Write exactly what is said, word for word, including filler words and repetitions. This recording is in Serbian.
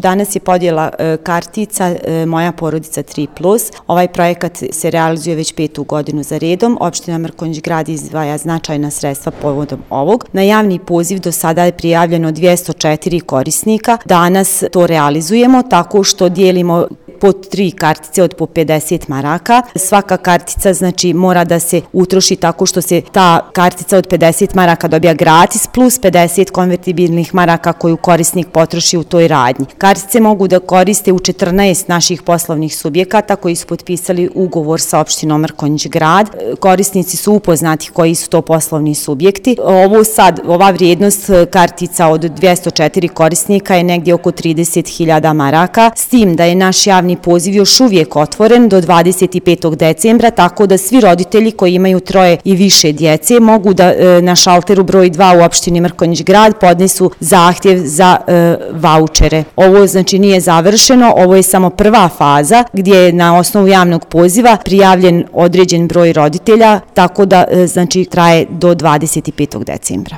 Danas je podjela e, kartica e, Moja porodica tri plus. Ovaj projekat se realizuje već petu godinu za redom. Opština Mrkonjić Grad izdvaja značajna sredstva povodom ovog. Na javni poziv do sada je prijavljeno dvjesto četiri korisnika. Danas to realizujemo tako što dijelimo po tri kartice od po pedeset maraka. Svaka kartica znači mora da se utroši tako što se ta kartica od pedeset maraka dobija gratis plus pedeset konvertibilnih maraka koju korisnik potroši u toj radnji. Kartice mogu da koriste u četrnaest naših poslovnih subjekata koji su potpisali ugovor sa opštinom Mrkonjić Grad. Korisnici su upoznati koji su to poslovni subjekti. Ovo sad, ova vrijednost kartica od dvjesto četiri korisnika je negdje oko trideset hiljada maraka, s tim da je naš javni poziv još uvijek otvoren do dvadeset petog decembra, tako da svi roditelji koji imaju troje i više djece mogu da e, na šalteru broj dva u opštini Mrkonjić Grad podnesu zahtjev za e, vaučere. Ovo znači nije završeno, ovo je samo prva faza gdje je na osnovu javnog poziva prijavljen određen broj roditelja, tako da e, znači traje do dvadeset petog decembra.